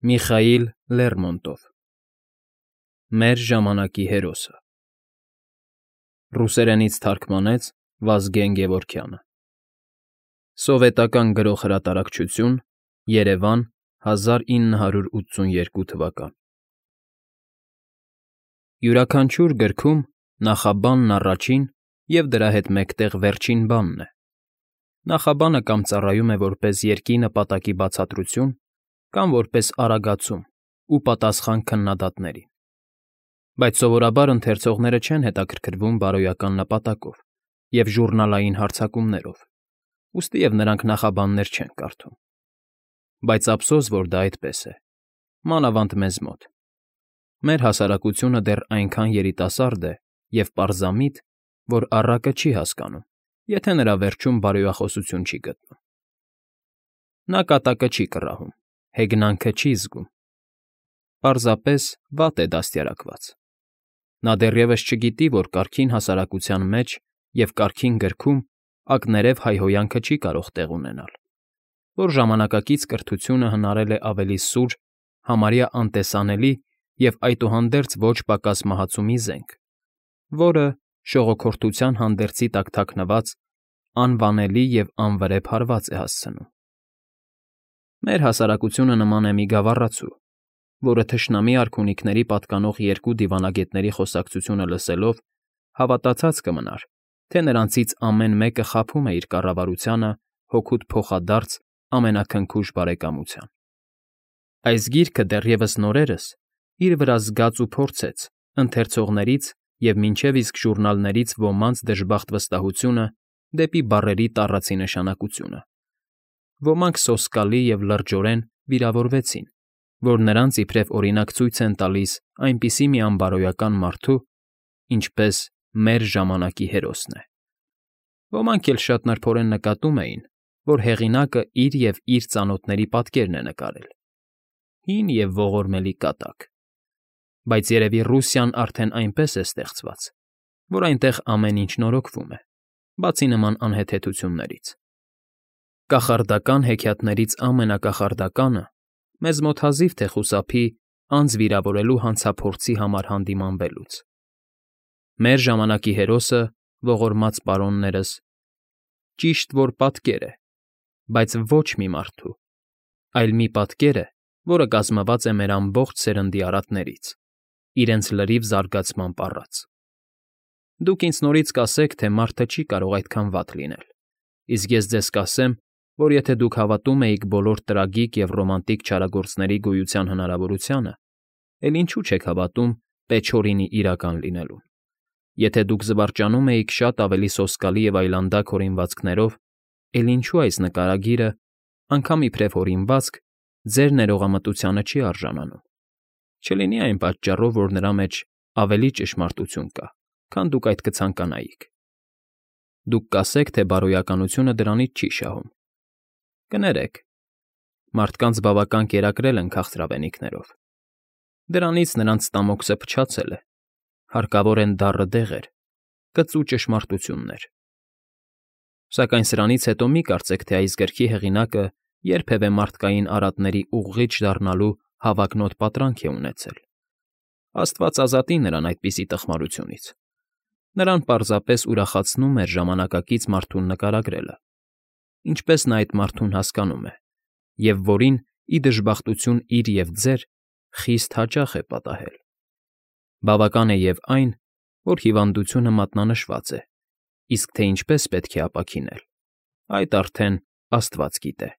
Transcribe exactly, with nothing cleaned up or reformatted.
Միխայիլ Լերմոնտով Մեր ժամանակի հերոսը Ռուսերենից թարգմանեց Վազգեն Գևորգյանը Սովետական Գրող֊հրատարակչություն, Երևան, հազար ինը հարյուր ութսունութեքու թվական Յուրաքանչյուր գրքում նախաբանն առաջին և դրա հետ մեկտեղ վերջին բանն է։ Նախաբանը կամ ծառայում է որպես երգի նպատակի բացատրություն, կամ որպես արագացում ու պատասխան քննադատներին, բայց սովորաբար ընթերցողները չեն հետաքրքրվում բարոյական նպատակով և ժուռնալային հարձակումներով, ուստի և նրանք նախաբաններ չեն կարդում։ Բայց ափսոս, որ դա այդպես է, մանավանդ մեզ մոտ։ Մեր հասարակությունը դեռ այնքան երիտասարդ է և պարզամիտ, որ առակը չի հասկանում, եթե նրա վերջում բարոյախոսություն չի գտնում։ Նա կատակը չի կռահում, հեգնանքը չի զգում, պարզապես վատ է դաստիարակված։ Նա դեռևս չգիտի, որ կարգին հասարակության մեջ և կարգին գրքում ակներև հայհոյանքը չի կարող տեղ ունենալ, որ ժամանակակից կրթությունը հնարել է ավելի սուր, համարյա անտեսանելի և այդուհանդերձ ոչ պակաս մահացու մի զենք, որը, շողոքորթության հանդերձի տակ թաքնված, անվանելի և անվրեպ հարված է հասցնում։ Մեր հասարակությունը նման է մի գավառացու, որը թշնամի արքունիքների պատկանող երկու դիվանագետների խոսակցությունը լսելով հավատացած կմնար, թե նրանցից ամեն մեկը խաբում է իր կառավարությանը հօգուտ փոխադարձ ամենաքնքուշ բարեկամության։ Այս գիրքը դեռևս նորերս իր վրա զգաց ու փորձեց ընթերցողներից և մինչև իսկ ժուռնալներից ոմանց դժբախտ վստահությունը դեպի բառերի տառացի նշանակությունը։ Ոմանք սոսկալի և լրջորեն վիրավորվեցին, որ նրանց իբրև օրինակ ցույց են տալիս այնպիսի մի անբարոյական մարդու, ինչպես մեր ժամանակի հերոսն է։ Ոմանք էլ շատ նրբորեն նկատում էին, որ հեղինակը իր և իր ծանոթների պատկերն է նկարել՝ հին և ողորմելի կատակ։ Բայց երևի Ռուսիան արդեն այնպես է ստեղծված, որ այնտեղ ամեն ինչ նորոգվում է, բացի նման անհեթեթություններից։ Կախարդական հեքիաթներից ամենակախարդականը մեզ մոտ հազիվ թե խուսափի անձ վիրավորելու հանցափորձի համար հանդիմանվելուց։ Մեր ժամանակի հերոսը, ողորմած պարոններս, ճիշտ որ պատկեր է, բայց ոչ մի մարդու, այլ մի պատկեր է, որը կազմված է մեր ամբողջ սերնդի արատներից, իրենց լրիվ զարգացմամբ առած։ Դուք ինձ նորից կասեք, թե մարդը չի կարող այդքան վատ լինել, իսկ ես ձեզ կասեմ, որ եթե դուք հավատում էիք բոլոր տրագիկ և ռոմանտիկ չարագործների գոյության հնարավորությանը, էլ ինչու չեք հավատում Պեչորինի իրական լինելուն։ Եթե դուք զվարճանում էիք շատ ավելի սոսկալի և այլանդակ հորինվածքներով, էլ ինչու այս նկարագիրը, անգամ իբրև հորինվածք, ձեր ներողամտությանը չի արժանանում։ Չլինի այն պատճառով, որ նրա մեջ ավելի ճշմարտություն կա, քան դուք այդ կցանկանայիք։ Դուք կասեք, թե բարոյականությունը դրանից չի շահում։ Կներեք, մարդկանց բավական կերակրել են քաղցրավենիքներով։ Դրանից նրանց ստամոքսը փչացել է, հարկավոր են դառը դեղեր, կծու ճշմարտություններ։ Սակայն սրանից հետո մի կարծեք, թե այս գրքի հեղինակը երբևէ մարդկային արատների ուղղիչ դառնալու հավակնոտ պատրանք է ունեցել։ Աստված ազատի նրան այդպիսի տխմարությունից։ Նրան պարզապես ուրախացնում էր ժամանակակից մարդուն նկարագրելը, ինչպես նա այդ մարդուն հասկանում է, և որին, ի դժբախտություն իր և ձեր, խիստ հաճախ է պատահել։ Բավական է և այն, որ հիվանդությունը մատնանշված է, իսկ թե ինչպես պետք է ապաքինել, այդ արդեն աստված գիտե։